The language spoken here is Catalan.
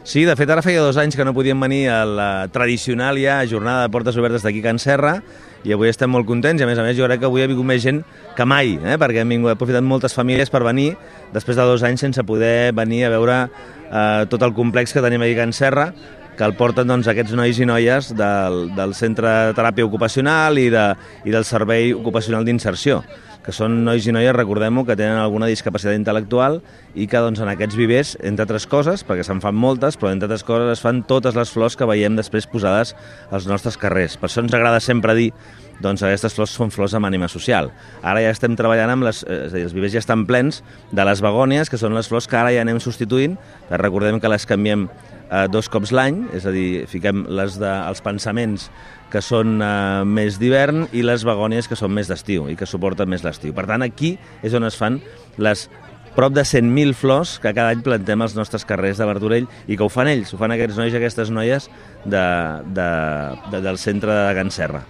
Sí, de fet, ara feia 2 anys que no podíem venir a la tradicional ja jornada de portes obertes d'aquí a Can Serra, i avui estem molt contents, i a més jo crec que avui ha vingut més gent que mai, perquè hem aprofitat moltes famílies per venir, després de 2 anys sense poder venir a veure tot el complex que tenim aquí a Can Serra, que el porten aquests nois i noies del Centre de Teràpia Ocupacional i del Servei Ocupacional d'Inserció, que són nois i noies, recordem-ho, que tenen alguna discapacitat intel·lectual i que en aquests vivers, entre altres coses, perquè se'n fan moltes, però entre altres coses es fan totes les flors que veiem després posades als nostres carrers. Per això ens agrada sempre dir que aquestes flors són flors amb ànima social. Ara ja estem treballant amb és a dir, els vivers ja estan plens de les begònies, que són les flors que ara ja anem substituint. Recordem que les canviem 2 cops l'any, és a dir, fiquem els pensaments que són més d'hivern i les begònies que són més d'estiu i que suporten més l'estiu. Per tant, aquí és on es fan les prop de 100.000 flors que cada any plantem als nostres carrers de Martorell i que ho fan ells, ho fan aquests nois i aquestes noies del centre de Can Serra.